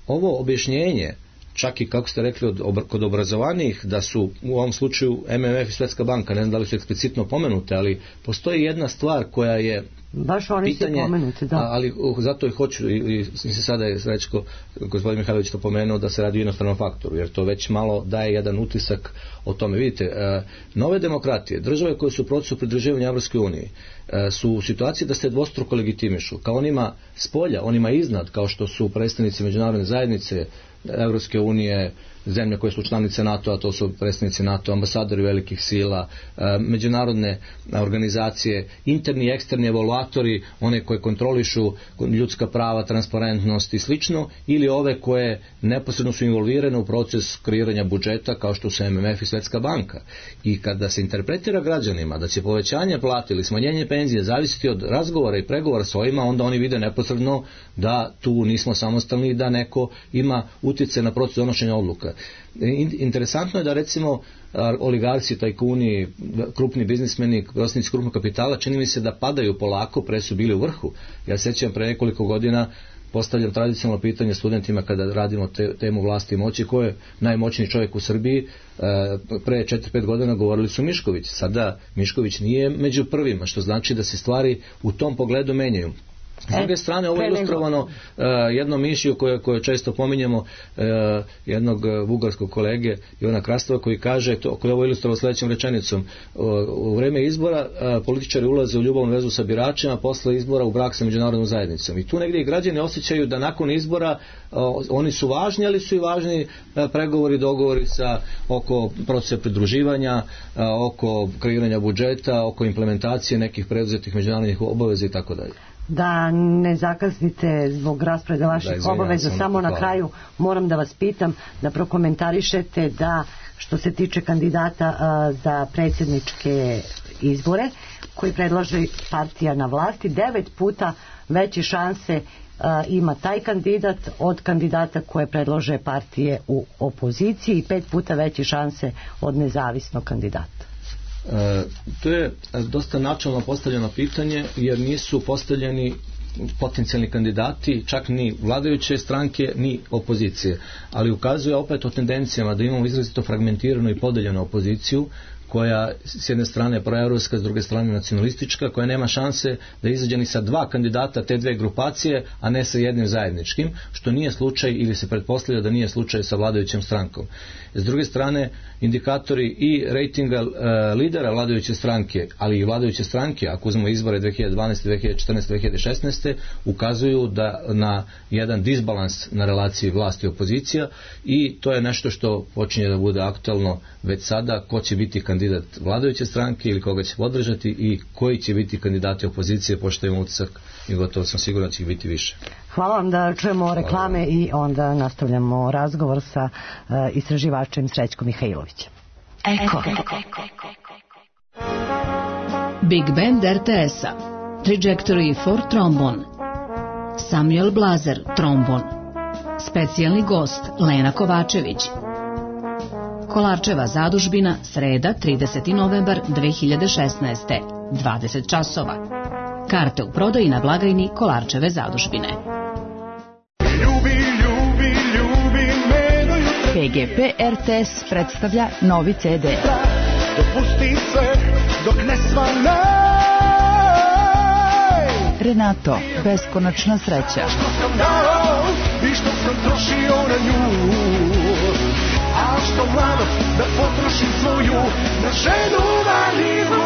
ovo objašnjenje, čak i kako ste rekli od, ob, kod obrazovanih, da su u ovom slučaju em em ef i Svetska banka, ne znam da li su eksplicitno pomenute, ali postoji jedna stvar koja je baš oni pitanje, su pomenuti, da. Ali uh, zato i hoću, i, i se sada je Srećko, gospodin Mihajlović to pomenuo, da se radi o inostranom faktoru, jer to već malo daje jedan utisak o tome. Vidite, uh, nove demokratije, države koje su u procesu pridruživanja Evropskoj uniji, uh, su u situaciji da se dvostruko legitimišu, kao onima s polja, onima iznad, kao što su predstavnici međunarodne zajednice, Evropske unije, zemlje koje su članice NATO-a, to su predstavnici NATO, ambasadori velikih sila, međunarodne organizacije, interni i eksterni evaluatori, one koje kontrolišu ljudska prava, transparentnost i slično, ili ove koje neposredno su involvirane u proces kreiranja budžeta, kao što su em em ef i Svetska banka. I kada se interpretira građanima da će povećanje plate ili smanjenje penzije zavisiti od razgovora i pregovora s ovima, onda oni vide neposredno da tu nismo samostalni i da neko ima utjecaj na proces donošenja odluka. Interesantno je da recimo oligarci, tajkuni, krupni biznismeni, vlasnici krupnog kapitala, čini mi se da padaju polako, pre su bili u vrhu. Ja sećam pre nekoliko godina postavljam tradicionalno pitanje studentima kada radimo te, temu vlasti i moći, ko je najmoćniji čovjek u Srbiji. Pre četiri pet godina govorili su Mišković, sada Mišković nije među prvima, što znači da se stvari u tom pogledu menjaju. S druge strane, ovo je ilustrovano uh, jednom mišiju koje, koje često pominjemo, uh, jednog uh, bugarskog kolege Ivana Krastova, koji kaže, to, koji je ovo ilustrovao sledećom rečenicom: uh, u vreme izbora uh, političari ulaze u ljubavnu vezu sa biračima, posle izbora u brak sa međunarodnom zajednicom. I tu negdje i građani osjećaju da nakon izbora uh, oni su važni, ali su i važni uh, pregovori, dogovori sa, oko procesa pridruživanja, uh, oko kreiranja budžeta, oko implementacije nekih preduzetih međunarodnih obaveza i tako dalje. Da ne zakasnite zbog rasporeda vaših da, obaveza, samo na kraju moram da vas pitam da prokomentarišete da što se tiče kandidata a, za predsjedničke izbore koji predlaže partija na vlasti, devet puta veće šanse a, ima taj kandidat od kandidata koje predlože partije u opoziciji i pet puta veće šanse od nezavisnog kandidata. E, to je dosta načelno postavljeno pitanje, jer nisu postavljeni potencijalni kandidati čak ni vladajuće stranke ni opozicije, ali ukazuje opet o tendencijama da imamo izrazito fragmentiranu i podeljenu opoziciju koja s jedne strane je proevropska, s druge strane nacionalistička, koja nema šanse da izađe ni sa dva kandidata te dve grupacije, a ne sa jednim zajedničkim, što nije slučaj ili se pretpostavlja da nije slučaj sa vladajućom strankom. S druge strane, indikatori i rejtinga e, lidera vladajuće stranke, ali i vladajuće stranke, ako uzmemo izbore dve hiljade dvanaeste, dve hiljade četrnaeste, dve hiljade šesnaeste, ukazuju da na jedan disbalans na relaciji vlasti i opozicija, i to je nešto što počinje da bude aktualno već sada, ko će biti kandidat vladajuće stranke ili koga će podržati i koji će biti kandidati opozicije, pošto imamo utisak i gotovo sam siguran da će ih biti više. Hvala vam, da čujemo reklame i onda nastavljamo razgovor sa uh, istraživačem Srećkom Mihajlovićem. Eko. Big Band er te es-a, Trajectory for Trombone, Samuel Blazer, trombon, specijalni gost Lena Kovačević. Kolarčeva zadužbina, sreda, trideseti novembar dve hiljade šesnaeste, dvadeset časova. Karte u prodaji na blagajni Kolarčeve zadužbine. P G P er te es predstavlja novi ce de. Dopusti sve dok ne svane. Renato, beskonačna sreća. Što sam dao i što sam trošio na nju, a što mladost da potrošim svoju na ženu vanilu.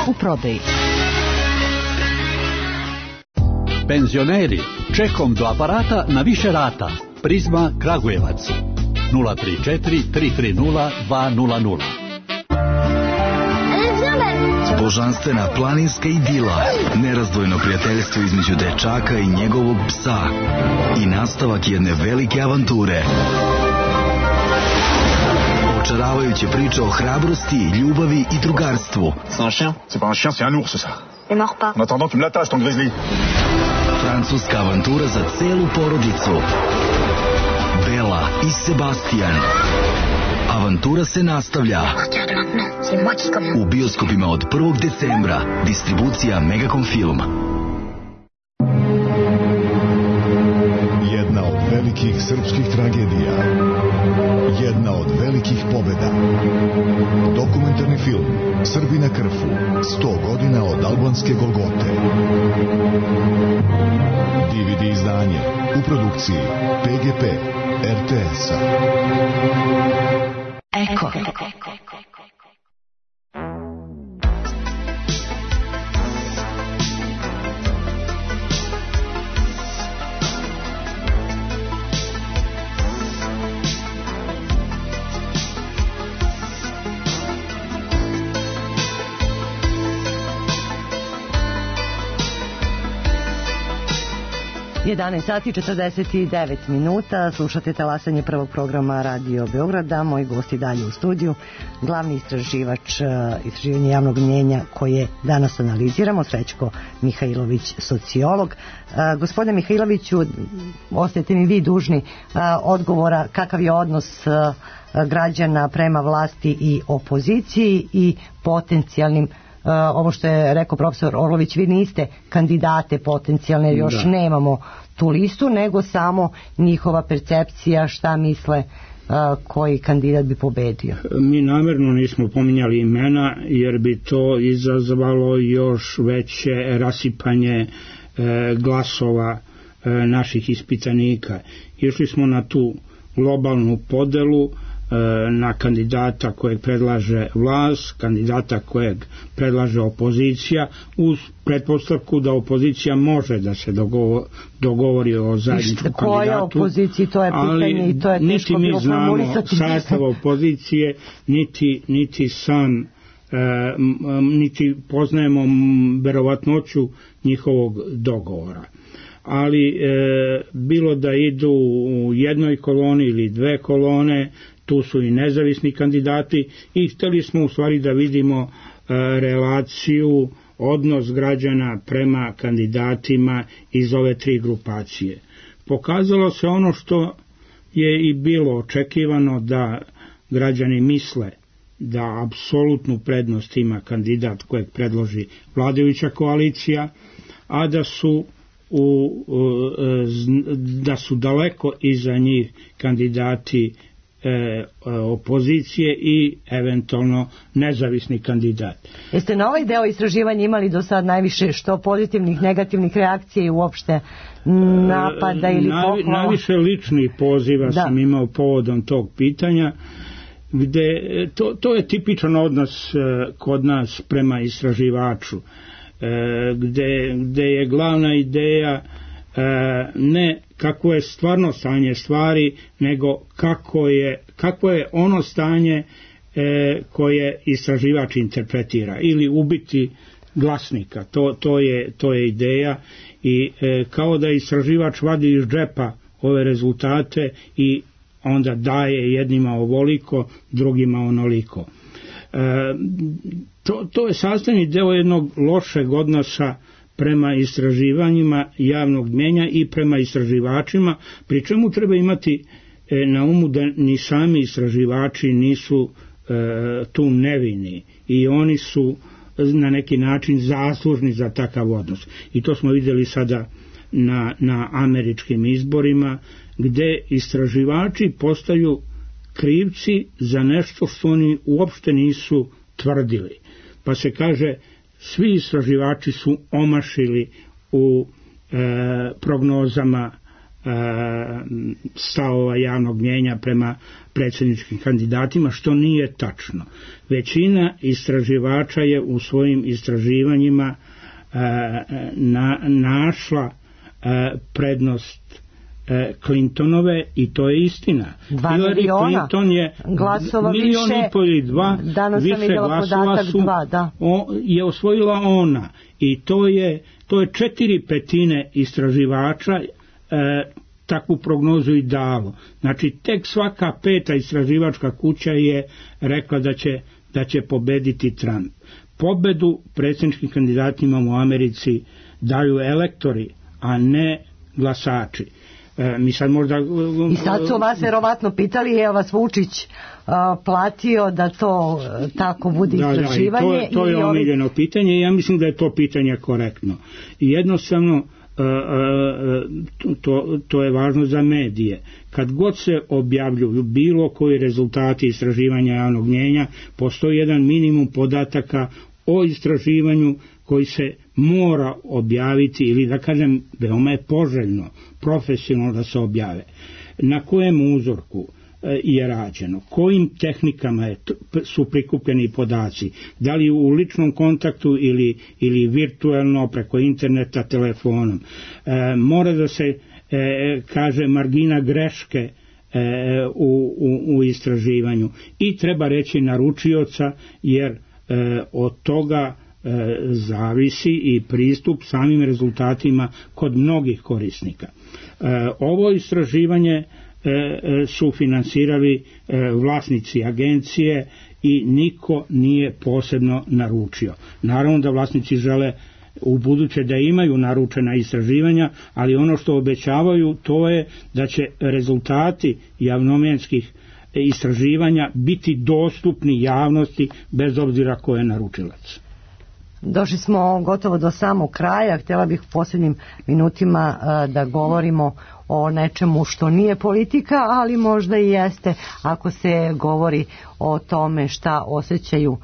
U prodaji. Penzioneri, čekom do aparata na više rata. Prizma Kragujevac nula tri četiri tri tri nula dva nula nula. Božanstvena planinska idila, nerazdvojno prijateljstvo između dečaka i njegovog psa i nastavak jedne velike avanture. Očaravajuće priče o hrabrosti, ljubavi i drugarstvu. C'est un chien? C'est pas un chien, c'est un ours ça. Ne mord pas. En attendant, tu me l'attaches ton grizzly. Francuska avantura za celu porodicu. Bela i Sebastian. Avantura se nastavlja. U bioskopima od prvog decembra. Distribucija Megacom Film. Jedna od velikih srpskih tragedija. Jedna od velikih pobjeda. Dokumentarni film Srbi na krfu. sto godina od albanske Golgote. D V D izdanje u produkciji P G P er te es-a. Eko. jedanaest sati četrdeset devet minuta, slušate talasanje prvog programa Radio Beograda. Moj gost je dalje u studiju, glavni istraživač istraživanja javnog mnjenja koje danas analiziramo, Srećko Mihajlović, sociolog. Gospodine Mihajloviću, ostajete mi vi dužni odgovora kakav je odnos građana prema vlasti i opoziciji i potencijalnim. Uh, ovo što je rekao profesor Orlović, vi niste kandidate potencijalne, još da. Nemamo tu listu, nego samo njihova percepcija, šta misle uh, koji kandidat bi pobedio? Mi namjerno nismo pominjali imena jer bi to izazvalo još veće rasipanje glasova naših ispitanika. Išli smo na tu globalnu podelu, na kandidata kojeg predlaže vlast, kandidata kojeg predlaže opozicija, uz pretpostavku da opozicija može da se dogovori, dogovori o zajedničkom kandidatu. Koja opoziciji, to je pitanje i to je teško bilo formulisati. Niti mi znamo sastav opozicije, niti, niti sam e, niti poznajemo verovatnoću njihovog dogovora. Ali e, bilo da idu u jednoj koloni ili dve kolone, tu su i nezavisni kandidati i htjeli smo u stvari da vidimo e, relaciju, odnos građana prema kandidatima iz ove tri grupacije. Pokazalo se ono što je i bilo očekivano, da građani misle da apsolutnu prednost ima kandidat kojeg predloži vladajuća koalicija, a da su U, da su daleko iza njih kandidati e, opozicije i eventualno nezavisni kandidat. Jeste na ovaj deo istraživanja imali do sad najviše što pozitivnih, negativnih reakcija i uopšte napada ili pohvala? Najviše ličnih poziva da. sam imao povodom tog pitanja, gde to, to je tipičan odnos kod nas prema istraživaču. Gde, gde je glavna ideja ne kako je stvarno stanje stvari, nego kako je, kako je ono stanje koje istraživač interpretira, ili ubiti glasnika. To, to, je, to je ideja i kao da istraživač vadi iz džepa ove rezultate i onda daje jednima ovoliko, drugima onoliko. To, to je sastavni deo jednog lošeg odnosa prema istraživanjima javnog mnijenja i prema istraživačima, pri čemu treba imati na umu da ni sami istraživači nisu e, tu nevini i oni su na neki način zaslužni za takav odnos. I to smo vidjeli sada na, na američkim izborima, gde istraživači postaju krivci za nešto što oni uopšte nisu tvrdili. Pa se kaže, svi istraživači su omašili u e, prognozama e, stavova javnog mnijenja prema predsjedničkim kandidatima, što nije tačno. Većina istraživača je u svojim istraživanjima e, na, našla e, prednost Clintonove i to je istina. Hillary Clinton je milion i pol ili dva, više glasova su dva, da. o, je osvojila ona i to je, to je četiri petine istraživača e, takvu prognozu i dalo. Znači tek svaka peta istraživačka kuća je rekla da će, da će pobediti Trump. Pobedu predsjedničkim kandidatima u Americi daju elektori, a ne glasači. E, mi sad možda... I sad su vas verovatno pitali, je vas Vučić a, platio da to a, tako bude da, istraživanje? Da, to, to je omiljeno ovi... pitanje i ja mislim da je to pitanje korektno. I jednostavno a, a, to, to je važno za medije. Kad god se objavljuju bilo koji rezultati istraživanja javnog mnijenja, postoji jedan minimum podataka o istraživanju koji se mora objaviti, ili da kažem veoma je poželjno profesionalno da se objave. Na kojem uzorku je rađeno, kojim tehnikama je, su prikupljeni podaci, da li u ličnom kontaktu ili, ili virtualno preko interneta, telefonom. E, mora da se e, kaže margina greške e, u, u, u istraživanju i treba reći naručioca, jer e, od toga e, zavisi i pristup samim rezultatima kod mnogih korisnika. E, ovo istraživanje su finansirali vlasnici agencije i niko nije posebno naručio. Naravno da vlasnici žele u buduće da imaju naručena istraživanja, ali ono što obećavaju to je da će rezultati javnomjenskih istraživanja biti dostupni javnosti bez obzira ko je naručilac. Došli smo gotovo do samog kraja. Htjela bih u posljednjim minutima uh, da govorimo o nečemu što nije politika, ali možda i jeste ako se govori o tome šta osjećaju uh,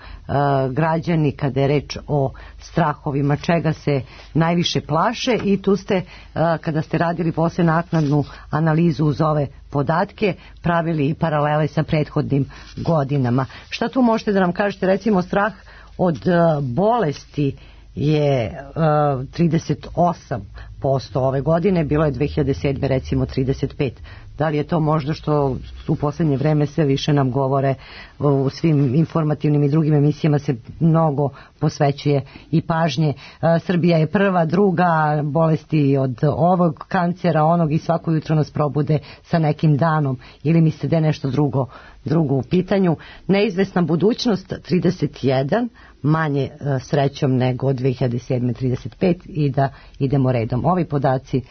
građani kada je reč o strahovima, čega se najviše plaše, i tu ste, uh, kada ste radili posle naknadnu analizu uz ove podatke, pravili i paralele sa prethodnim godinama. Šta tu možete da nam kažete? Recimo, strah od uh, bolesti je uh, trideset osam posto ove godine, bilo je dve hiljade sedme recimo trideset pet. Da li je to možda što u posljednje vreme sve više nam govore, u svim informativnim i drugim emisijama se mnogo posvećuje i pažnje. Srbija je prva, druga, bolesti od ovog kancera, onog, i svako jutro nas probude sa nekim danom, ili mislite da je nešto drugo, drugo u pitanju. Neizvesna budućnost trideset jedan, manje srećom nego od dve hiljade sedme trideset pet, i da idemo redom. Ovi podaci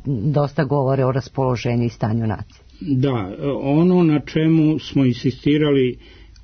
dosta govore o raspoloženju i stanju nacije. Da, ono na čemu smo insistirali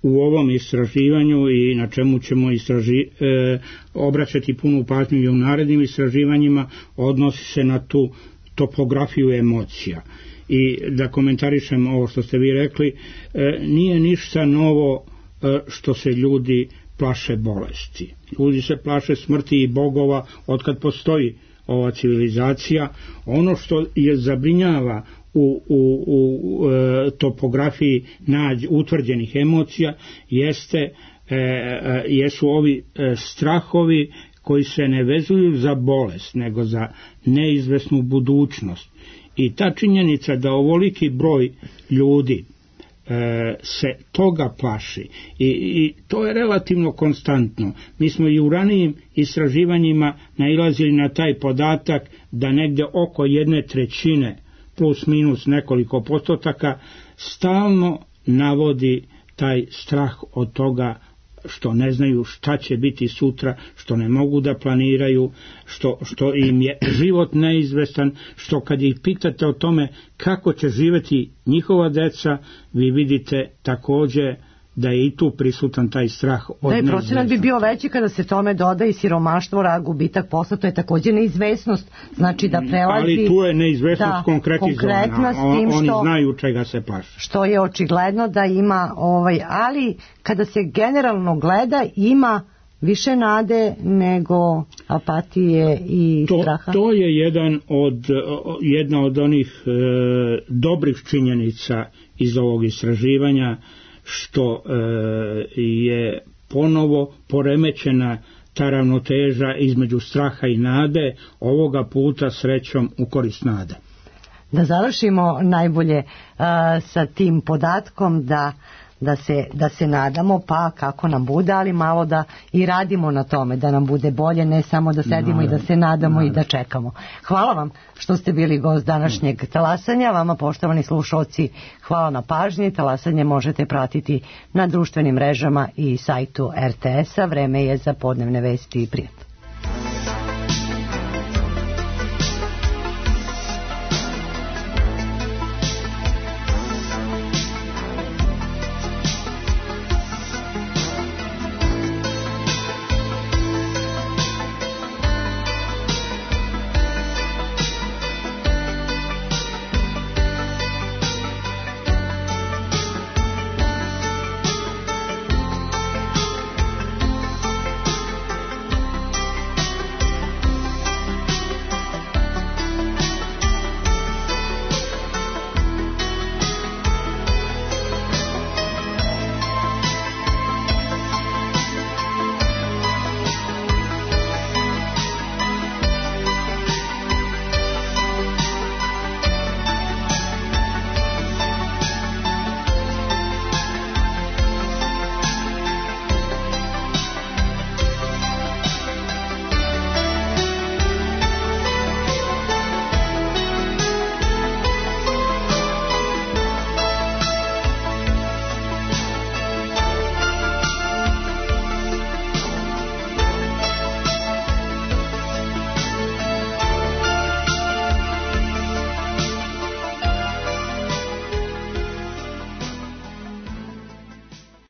u ovom istraživanju i na čemu ćemo istraži, e, obraćati punu pažnju i u narednim istraživanjima, odnosi se na tu topografiju emocija. I da komentarišem ovo što ste vi rekli, e, nije ništa novo e, što se ljudi plaše bolesti. Ljudi se plaše smrti i bogova otkad postoji ova civilizacija. Ono što je zabrinjava u, u, u e, topografiji nađ, utvrđenih emocija jeste, e, e, jesu ovi e, strahovi koji se ne vezuju za bolest, nego za neizvesnu budućnost. I ta činjenica da ovoliki broj ljudi se toga plaši I, i to je relativno konstantno. Mi smo i u ranijim istraživanjima nailazili na taj podatak da negde oko jedne trećine plus minus nekoliko postotaka stalno navodi taj strah od toga što ne znaju šta će biti sutra, što ne mogu da planiraju, što, što im je život neizvestan, što kad ih pitate o tome kako će živjeti njihova deca, vi vidite također da je i tu prisutan taj strah od neizvesnosti. Da, procenat bi bio veći kada se tome doda i siromaštvo, rad, gubitak posla, to je također neizvesnost, znači da prelazi... Ali tu je neizvesnost da, konkretizovana, On, oni što, znaju čega se plaše. Što je očigledno da ima, ovaj, ali kada se generalno gleda, ima više nade nego apatije i to, straha. To je jedan od, jedna od onih e, dobrih činjenica iz ovog istraživanja, što e, je ponovo poremećena ta ravnoteža između straha i nade, ovoga puta srećom u korist nade. Da završimo najbolje uh, sa tim podatkom da Da se, da se nadamo, pa kako nam bude, ali malo da i radimo na tome da nam bude bolje, ne samo da sedimo no, i da se nadamo no. i da čekamo. Hvala vam što ste bili gost današnjeg talasanja. Vama, poštovani slušalci, hvala na pažnji. Talasanje možete pratiti na društvenim mrežama i sajtu er te es a. Vreme je za podnevne vesti i prijatno.